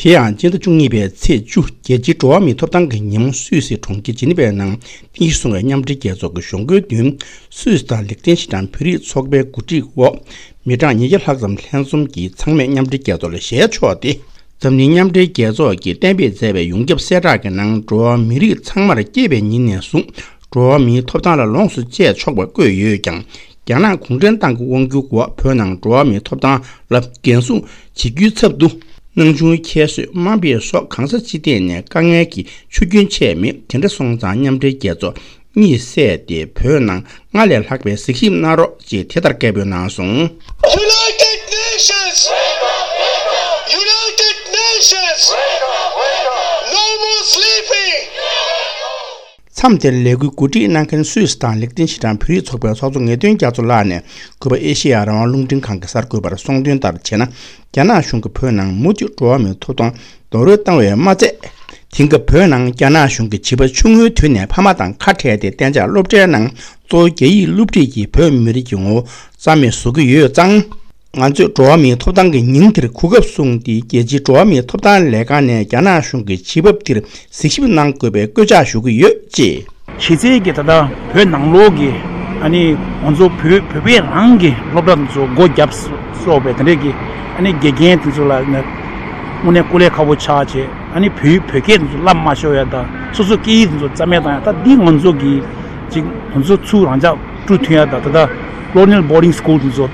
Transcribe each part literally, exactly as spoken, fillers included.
དེ་ཡང་སྤྱི་ཟླ་བཅུ་གཉིས་པའི་ཚེས་བཅུ། རྒྱལ་སྤྱིའི་འགྲོ་བ་མིའི་ཐོབ་ཐང་གི་ཉིན་མོ་སུད་སི་གྲོང་ཁྱེར་ཇི་ནི་ཝའི་ནང་རྟེན་གཞི་བཟུང་བའི་མཉམ་འབྲེལ་རྒྱལ་ཚོགས་ཀྱི་གཞུང་སྒོའི་མདུན། སུད་སི་དང་ལིག་ཏེན་ཤི་ཏན་བོད་རིགས་ཚོགས་པའི་གོ་སྒྲིག་འོག་མི་གྲངས་ཉིས་བརྒྱ་ལྷག་ཙམ་ལྷན་འཛོམས་ཀྱིས་ཚང་མས་མཉམ་འབྲེལ་རྒྱལ་ཚོགས་ལ་ཞལ་ཕྱོགས་ཏེ། འཛམ་གླིང་མཉམ་འབྲེལ་རྒྱལ་ཚོགས་ཀྱིས་གཏན་འབེབས་མཛད་པའི་ཡོངས་ཁྱབ་གསལ་བསྒྲགས་ཀྱི་ནང་འགྲོ་བ་མི་རིགས་ཚང་མར་སྐྱེས་པའི་ཉིན་ནས་བཟུང་འགྲོ་བ་མིའི་ཐོབ་ཐང་ལ་ལོངས་སུ་སྤྱད་ཆོག་པ་བཀོད་ཡོད་ཀྱང་། རྒྱ་ནག་གུང་ཁྲན་ཏང་གི་དབང་སྒྱུར་འོག་བོད་ནང་འགྲོ་བ་མིའི་ཐོབ་ཐང་ལ་འགན་སྲུང་བྱེད་རྒྱུའི་ཚབ་ཏུ། སྣང་ཆུང་ཁྱད་གསོད་དམའ་འབེབས་སོགས་གང་ས་ཅི་ཐད་ནས་དཀའ་ངལ་གྱི་ཆུ་རྒྱུན་ཆད་མེད། དེ་འདྲ་སོང་ཙང་མཉམ་འབྲེལ་རྒྱལ་ཚོགས་གཉིད་སད་དེ་བོད་ནང་སྔར་ལས་ལྷག་པའི་གཟིགས་ཞིབ་གནང་རོགས་ཅེས་དེ་ལྟར་སྐད་འབོད་གནང་སོང་། United Nations! United Nations! No more sleeping! མཚམས་དེར་ལས་འགུལ་གོ་སྒྲིག་གནང་མཁན་སུད་སི་དང་ལིག་ཏེན་ཤི་ཏན་བོད་རིགས་ཚོགས་པའི་ཚོགས་གཙོ་ངེས་དོན་རྒྱ་མཚོ་ལགས་ནས་གུས་པ་ཨེ་ཤེ་ཡ་རང་དབང་རླུང་འཕྲིན་ཁང་གི་གསར་འགོད་པར་གསུངས་དོན་ལྟར་བྱས་ན། རྒྱ་ནག་གཞུང་གིས་བོད་ནང་མུ་མཐུད་འགྲོ་བ་མིའི་ཐོབ་ཐང་རྡོག་རོལ་བཏང་བས་མ་ཚད། དེང་སྐབས་བོད་ནང་རྒྱ་ནག་གཞུང་གིས་བྱིས་པ་ཆུང་ངུའི་དུས་ནས་ཕ་མ་དང་ཁ་བྲལ་ཏེ་གཏན་འཇགས་སློབ་གྲྭའི་ནང་གཙོ་བོ་རྒྱ་ཡིག་སློབ་ཁྲིད་ཀྱིས་བོད་མི་རིགས་ཀྱི་ངོ་བོ་རྩ་མེད་བཟོ་གི་ཡོད་ཙང་། ང་ཚོས་འགྲོ་བ་མིའི་ཐོབ་ཐང་གི་ཉིན་དེར་གོ་སྐབས་བཟུང་སྟེ། རྒྱལ་སྤྱིའི་འགྲོ་བ་མིའི་ཐོབ་ཐང་ལས་ཁང་ནས་རྒྱ་ནག་གཞུང་གི་བྱེད་བབ་དེར་གཟིགས་ཞིབ་གནང་དགོས་པའི་སྐུལ་ལྕག་ཞུ་གི་ཡོད་ཅེས། གཞི་རྩའི་གི་ད་ལྟ་བོད་ནང་ལོགས་ཀྱི་ཨ་ནི་ང་ཚོ་བོད་བོད་པའི་རང་གི་སློབ་གྲྭ་དེ་ཚོ་སྒོ་བརྒྱབ་སོགས་པའི་དེ་འདྲའི་གི་ཨ་ནི་དགེ་རྒན་དེ་ཚོ་ལ་ནི་དངོས་གནས་སྐུ་ལས་ཁག་པོ་ཆགས་བྱས། ཨ་ནི་བོད་བོད་སྐད་དེ་ཚོ་བསླབ་མ་ཤོར་ཡ་དང་། སོ་སོ་སྐད་ཡིག་དེ་ཚོ་རྩ་མེད་བཏང་ཡ། ད་འདི་ང་ཚོ་གི་ཅིག་ང་ཚོ་ཚུར་རང་ཅག་བཀྲུ་ཐུབ་ཡ་དང་། ད་ལྟ་Colonial Boarding School དེ་ཚོ་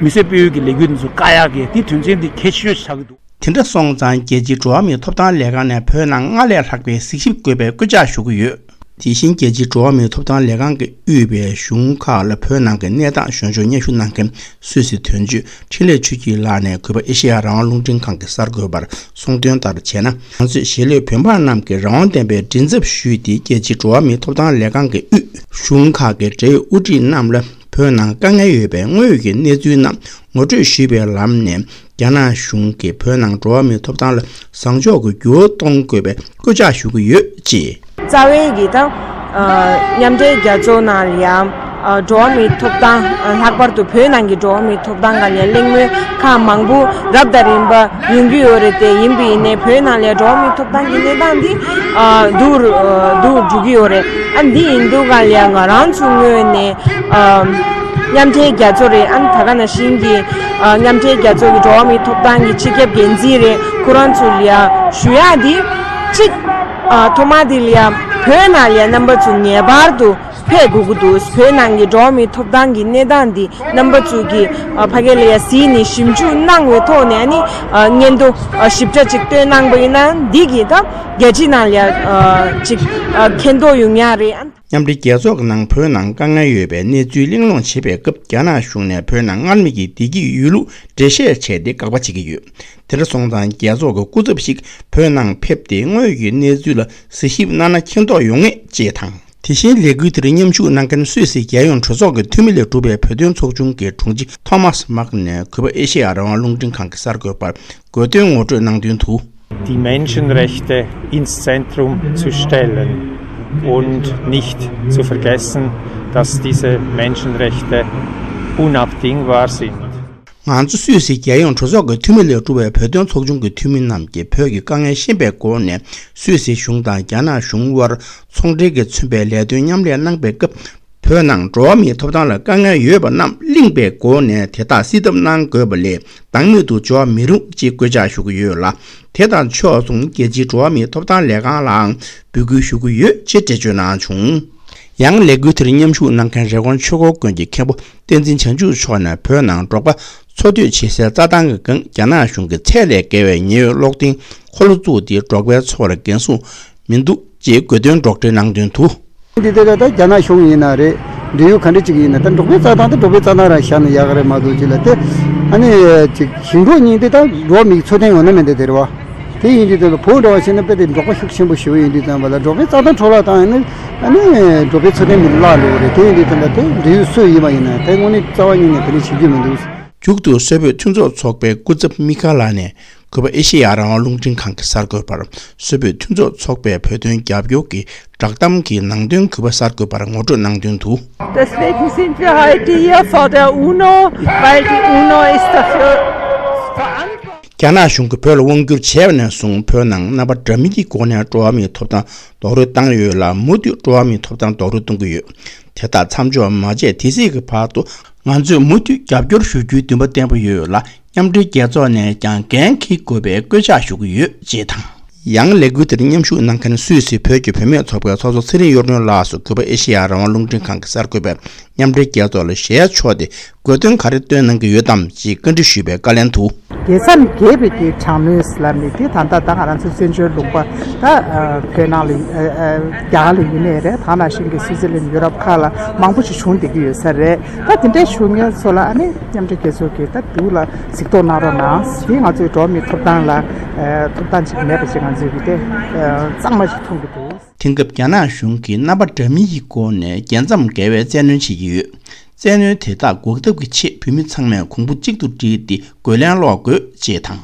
མི་སེར་སྤེལ་ཡུལ་གྱི་ལས་འགུལ་དེ་ཚོ་བཀག་ཡག་གི་དེ་དོན་ཚན་དེ་གལ་ཆེ་ཤོས་ཆགས་ཀྱི་འདུག། དེ་འདྲ་སོང་ཙང་རྒྱལ་སྤྱིའི་འགྲོ་བ་མིའི་ཐོབ་ཐང་ལས་ཁང་ནས་བོད་ནང་སྔར་ལས་ལྷག་པའི་གཟིགས་ཞིབ་དགོས་པའི་སྐུལ་ལྕག་ཞུ་གི་ཡོད། དེ་བཞིན་རྒྱལ་སྤྱིའི་འགྲོ་བ་མིའི་ཐོབ་ཐང་ལས་ཁང་གིས་དབུས་པའི་གཞུང་ཁག་ལ་བོད་ནང་གི་གནས་སྟངས་གཞོན་ཕྱོགས་སྙན་ཞུ་གནང་མཁན་སུད་སི་དོན་གཅོད་འཕྲིན་ལས་ཆོས་སྐྱིད་ལགས་ནས་གུས་པ་ཨེ་ཤེ་ཡ་རང་དབང་རླུང་འཕྲིན་ཁང་གི་གསར་འགོད་པར་གསུངས་དོན་ལྟར་བྱས་ན། ང་ཚོས་གཞིས་ལུས་བོད་འབངས་རྣམས་ཀྱི་རང་དབང་ལྡན་པའི་མགྲིན་ཚབ་ཞུས་ཏེ། རྒྱལ་སྤྱིའི་འགྲོ་བ་མིའི་ཐོབ་ཐང་ལས་ཁང་གི་དབུས་གཞུང་ཁག་གི་འབྲེལ་ཡོད་དབུ་ཁྲིད་རྣམས་ལ་བོད་ནང་དཀའ་ངལ་ཡོད་པའི་དངོས་ཡོད་ཀྱི་གནས་ཚུལ་རྣམས་ངོ་སྤྲོད་ཞུས་པའི་ལམ་ནས། རྒྱ་ནག་གཞུང་གིས་བོད་ནང་འགྲོ་བ་མིའི་ཐོབ་ཐང་ལ་བཟང་ཕྱོགས་ཀྱི་འགྱུར་བ་གཏོང་དགོས་པའི་སྐུལ་ལྕག་ཞུ་གི་ཡོད་ཅེས། རྩ་བའི་གི་ད་ཨ་མཉམ་འབྲེལ་རྒྱལ་ཚོགས་ནང་ལ་ཡང་ཨ་འགྲོ་བ་མིའི་ཐོབ་ཐང་། ཨ་ལྷག་པར་དུ་བོད་ནང་གི་འགྲོ་བ་མིའི་ཐོབ་ཐང་སྒང་ལ་གླེང་མོལ་ཁག་མང་པོ་རབ་དང་རིམ་པ་ཡོང་གི་ཡོད་རེད། དེ་ཡིན་པ་ཡིན་ནའི་བོད་ནང་ལ་འགྲོ་བ་མིའི་ཐོབ་ཐང་གི་གནས་སྟངས་འདི་ཨ་སྡུག་རུ་ཨ་སྡུག་འགྲོ་གི་ཡོད་རེད། ཨ་འདི་ཡིན་དུས་སྒང་ལ་ཡང་ང་རང་ཚོའི་ངོས་ནས་ཨ་མཉམ་འབྲེལ་རྒྱལ་ཚོགས་རེད། ཨ་ནི་ད་ག་ནང་བཞིན་གྱི་ཨ་མཉམ་འབྲེལ་རྒྱལ་ཚོགས་ཀྱི་འགྲོ་བ་མིའི་ཐོབ་ཐང་གི་སྤྱི་ཁྱབ་འགན་འཛིན་རེད། ཁོ་རང་ཚོ་ལ་ཡང་ཞུ་ཡག་འདི་གཅིག་ཨ་ཐོག་མ་དེ་ལ་ཡང་བོད་ནང་ལ་ཡང་རྣམ་པ་ཚོ་ངེས་པར་དུ་ཕེབས་དགོས་ཀྱི་འདུག། བོད་ནང་གི་འགྲོ་བ་མིའི་ཐོབ་ཐང་གི་གནས་སྟངས་འདི་རྣམ་པ་ཚོ་གིས་ཨ་ཕ་གི་ལ་ཡང་གཟིགས་ནས་ཞིབ་འཇུག་གནང་བའི་ཐོག་ནས། ཨ་ནི་ཨ་སྙན་ཐོ་ཨ་ཞིབ་ཕྲ་ཅིག་བཏོན་གནང་པ་ཡིན་ན། འདི་གིས་ད་རྒྱལ་སྤྱི་ནང་ལ་ཡང་ཨ་ཅིག་ཨ་མཁྱེན་རྟོགས་ཡོང་ཡག་རེད། ཨ། མཉམ་འབྲེལ་རྒྱལ་ཚོགས་ཀྱི་ནང་བོད་ནང་དཀའ་ངལ་ཡོད་པའི་གནས་ཚུལ་གླེང་སློང་བྱེད་པའི་སྐབས། རྒྱ་ནག་གཞུང་ནས་བོད་ནང་སྔར་མེད་ཀྱི་བདེ་སྐྱིད་ཡོད་ལུགས་འགྲེལ་བཤད་བྱས་ཏེ་དགག་པ་བྱེད་ཀྱི་ཡོད། དེ་འདྲ་སོང་ཙང་རྒྱལ་ཚོགས་ཀྱི་སྐུ་ཚབ་ཞིག་བོད་ནང་ཕེབས་ཏེ་དངོས་ཡོད་ཀྱི་གནས་ཚུལ་ལ་གཟིགས་ཞིབ་གནང་ན་མཁྱེན་རྟོགས་ཡོང་ངེས་ཅེས་དང་། དེ་བཞིན་ལས་འགུལ་དེར་མཉམ་ཞུགས་གནང་མཁན་སུད་སི་རྒྱལ་ཡོངས་གྲོས་ཚོགས་ཀྱི་འཐུས་མི་ལས་གྲུབ་པའི་བོད་དོན་ཚོགས་ཆུང་གི་དྲུང་ཆེ་ཐོ་མཱས་མཱག་ནས་གུས་པ་ཨེ་ཤེ་ཡ་རང་དབང་རླུང་འཕྲིན་ཁང་གི་གསར་འགོད་པར་དགོས་འདུན་ངོ་སྤྲོད་གནང་དོན་དུ། Die Menschenrechte ins Zentrum zu stellen und nicht zu vergessen, dass diese Menschenrechte unabdingbar sind. ང་ཚོ་སུད་སི་རྒྱལ་ཡོངས་གྲོས་ཚོགས་ཀྱི་འཐུས་མི་ལས་གྲུབ་པའི་བོད་དོན་ཚོགས་ཆུང་གི་འཐུས་མི་རྣམས་ཀྱིས་བོད་ཀྱི་དཀའ་ངལ་ཤེས་པའི་སྒོ་ནས་སུད་སི་གཞུང་དང་རྒྱ་ནག་གཞུང་དབར་ཚོང་འབྲེལ་གྱིས་མཚོན་པའི་ལས་དོན་མཉམ་ལས་གནང་པའི་སྐབས། བོད་ནང་འགྲོ་བ་མིའི་ཐོབ་ཐང་ལ་དཀའ་ངལ་ཡོད་པ་རྣམས་གླེང་པའི་སྒོ་ནས་དེ་དག་སེལ་ཐབས་གནང་དགོས་པ་ལས་སྣང་མེད་དུ་འཇོག་མི་རུང་ཅེས་སྐུལ་ལྕག་ཞུ་གི་ཡོད་ལ། དེ་དང་ཕྱོགས་མཚུངས་རྒྱལ་སྤྱིའི་འགྲོ་བ་མིའི་ཐོབ་ཐང་ལས་ཁང་ལའང་འབོད་སྐུལ་ཞུ་གི་ཡོད་ཅེས་འགྲེལ་བརྗོད་གནང་བྱུང་། ཡང་ལས་འགུལ་དེར་མཉམ་ཞུགས་གནང་མཁན་རི་ཀོན་ཆོས་འཁོར་དགོན་གྱི་མཁན་པོ་བསྟན་འཛིན་བྱང་ཆུབ་མཆོག་ནས་བོད་ནང་འབྲོག་པ་འཚོ་སྡོད་བྱེད་སའི་རྩྭ་ཐང་གི་སྒང་རྒྱ་ནག་གཞུང་གིས་ཚད་ལས་བརྒལ་བའི་ཉེན་ཡོད་གློག་འཐེན་འཁོར་ལོ་བཙུགས་ཏེ་འབྲོག་པའི་འཚོ་བར་འགན་སྲུང་མི་འདུག་ཅེས་དགོས་འདུན་སྒྲོག་འགྲེལ་གནང་དོན་དུ། འདི་དེ་ད་ལྟ་རྒྱ་ནག་གཞུང་ཡིན་ན་རེད། འབྲེལ་ཡོད་ག་འདྲ་ཅིག་ཡིན་ན་ད་འབྲོག་པའི་རྩྭ་ཐང་དེ་འབྲོག་པའི་རྩྭ་ཐང་རང་བཞག་ན་ཡག་གི་རེད་མ་གཏོགས་ཅིག་ལ་དེ་ཨ་ནི་ཅིག་ཞིང་འབྲོག་གཉིས་དེ་ད་འགྲོ་བ་མིའི་འཚོ་རྟེན་ཡོད་ན་མེད་ན་དེ་རེད་བ། དེ་ཡིན་དུས་ཙམ་པ་བོད་འདྲ་བ་བྱས་ན་དཔེ་དེ་འབྲོག་པ་ཤུགས་ཆེན་པོ་ཞེ་པོ་ཡིན་དུས་ཙམ་པ་ལ་འབྲོག་པའི་རྩྭ་ཐང་འཕྲོ་བརླག་བཏང་ཡིན་ན་ཨ་ནི་འབྲོག་པའི་འཚོ་རྟེན་མི་བརླག་འགྲོ་གི་རེད། དེ་ཡིན་དུས་ཙམ་པ་དེ་འབྲེལ་ཡོད་སུ་ཡིན་པ་ཡིན་ན་དེ་དངོས་གནས་རྩ་བ་ཉིད་ནས་དེ་འདྲ་བྱེད་རྒྱུ་མི་འདུག། མཇུག་ཏུ་སོག་པོའི་མཐུན་ཚོགས་ཚོགས་པའི་སྐུ་ཚབ་མི་ཁ་ལགས་ནས་གུས་པ་ཨེ་ཤེ་ཡ་རང་དབང་རླུང་འཕྲིན་ཁང་གི་གསར་འགོད་པར་སོག་པོའི་མཐུན་ཚོགས་ཚོགས་པའི་བོད་དོན་རྒྱབ་སྐྱོར་གྱི་བསྒྲགས་གཏམ་གྱི་ནང་དོན་གུས་པ་གསར་འགོད་པར་ངོ་སྤྲོད་གནང་དོན་དུ། Deswegen sind wir heute hier vor der UNO, weil die UNO ist dafür verantwortlich. རྒྱ་ནག་གཞུང་གིས་བོད་ལ་དབང་བསྒྱུར་བྱས་པ་ནས་བཟུང་བོད་ནང་རྣམ་པ་འདྲ་མིན་གྱི་སྒོ་ནས་འགྲོ་བ་མིའི་ཐོབ་ཐང་རྡོག་རོལ་བཏང་ཡོད་ལ། མུ་མཐུད་འགྲོ་བ་མིའི་ཐོབ་ཐང་རྡོག་རོལ་གཏོང་གི་ཡོད། དེ་དག་མཚམས་འཇོག་མ་བྱས་དེ་སྲིད་ཀྱི་བར་དུ་ང་ཚོས་མུ་མཐུད་རྒྱབ་སྐྱོར་ཞུ་རྒྱུའི་འདུན་པ་བརྟན་པོ་ཡོད་ལ། མཉམ་འབྲེལ་རྒྱལ་ཚོགས་ནས་ཀྱང་འགན་འཁྱེར་དགོས་པའི་བཀོད་ཁྱབ་ཞུ་གི་ཡོད་ཅེས་དང་། ཡང་ལས་འགུལ་དེར་མཉམ་ཞུགས་གནང་མཁན་སུད་སི་བོད་ཀྱི་བུད་མེད་ཚོགས་པའི་ཚོགས་གཙོ་ཚེ་རིང་གཡུ་སྒྲོན་ལགས་སུ་གུས་པ་ཨེ་ཤེ་ཡ་རང་དབང་རླུང་འཕྲིན་ཁང་གི་གསར་འགོད་པས་མཉམ་འབྲེལ་རྒྱལ་ཚོགས་ལ་ཞལ་ཕྱོགས་ཏེ་དགོས་དོན་ག་རེ་བཏོན་གནང་གི་ཡོད་དམ་ཞེས་བཀའ་འདྲི་ཞུས་པའི་བཀའ་ལན་དུ། རྒྱལ་མཚམས་བརྒལ་བའི་གི་དྲག་གནོན་ལབ་ནི་དེ་ད་ལྟ་ད་ང་རང་ཚོ་བཙན་བྱོལ་ལུང་པ་ད་བོད་ནང་ལ་རྒྱ་གར་ལ་ཡིན་ནའི་རེད། ད་ནང་བཞིན་གྱི་སུའི་ཙི་ལན་ཡུ་རོབ་ཁག་ལ་མང་པོ་ཞིག་བྱུང་བསྡད་ཀྱི་ཡོད་ས་རེད། ད་དེ་འདྲའི་བྱུང་མཁན་ཚོ་ལ་ཨ་ནི་མཉམ་འབྲེལ་རྒྱལ་ཚོགས་ཀྱིས་ད་སྡུག་ལ་གཟིགས་རྟོག་གནང་རོགས་གནང་། དེ་ང་ཚོའི་འགྲོ་བ་མིའི་ཐོབ་ཐང་ལ་ཐོབ་ཐང་ཅིག་མེད་པ་ཅིག་ང་ཚོས་ཀྱི་དེ་གཙང་མ་ཞིག་མཐོང་གི་འདུག་དེང་སྐབས་རྒྱ་ནག་གཞུང་གིས་རྣམ་པ་འདྲ་མིན་གྱི་སྒོ་ནས་རྒྱལ་མཚམས་བརྒལ་བའི་བཙན་གནོན་བྱེད་ཀྱི་ཡོད། བཙན་གནོན་དེ་དག་འགོག་ཐབས་ཀྱི་ཆེད་བོད་མི་ཚང་མས་གོང་བུ་གཅིག་ཏུ་བསྒྲིལ་ཏེ་རྒོལ་ལན་སློག་དགོས་ཅེས་དང་།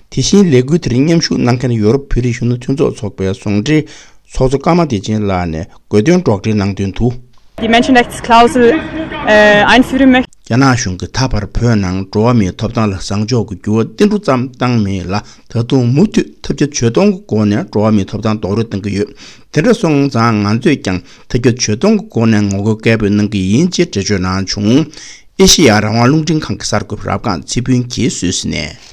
དེ་བཞིན་ལས་འགུལ་དེར་མཉམ་ཞུགས་གནང་མཁན་ཡོ་རོབ་བོད་རིགས་གཞོན་ནུ་མཐུན་ཚོགས་ཚོགས་པའི་ཟུང་འབྲེལ་ཚོགས་གཙོ་ཀརྨ་བདེ་ཆེན་ལགས་ནས་དགོས་དོན་སྒྲོག་འགྲེལ་གནང་དོན་དུ། Die Menschenrechtsklausel, äh, einführen möchte. རྒྱ་ནག་གཞུང་གིས་ད་བར་བོད་ནང་འགྲོ་བ་མིའི་ཐོབ་ཐང་ལ་བཟང་ཕྱོགས་ཀྱི་འགྱུར་བ་ཏིལ་འབྲུ་ཙམ་བཏང་མེད་ལ། ད་དུང་མུ་མཐུད་ཐབས་བརྒྱ་ཇུས་སྟོང་གི་སྒོ་ནས་འགྲོ་བ་མིའི་ཐོབ་ཐང་རྡོག་རོལ་གཏོང་གི་ཡོད། དེ་འདྲ་སོང་ཙང་ང་ཚོས་ཀྱང་ཐབས་བརྒྱ་ཇུས་སྟོང་གི་སྒོ་ནས་ངོ་རྒོལ་སྐད་འབོད་གནང་གི་ཡིན་ཅེས་འགྲེལ་བརྗོད་གནང་བྱུང་། ཨེ་ཤེ་ཡ་རང་དབང་རླུང་འཕྲིན་ཁང་གི་གསར་འགོད་པ་རབ་སྒང་ཚེ་ཕུན་གྱིས་སུད་སི་ནས།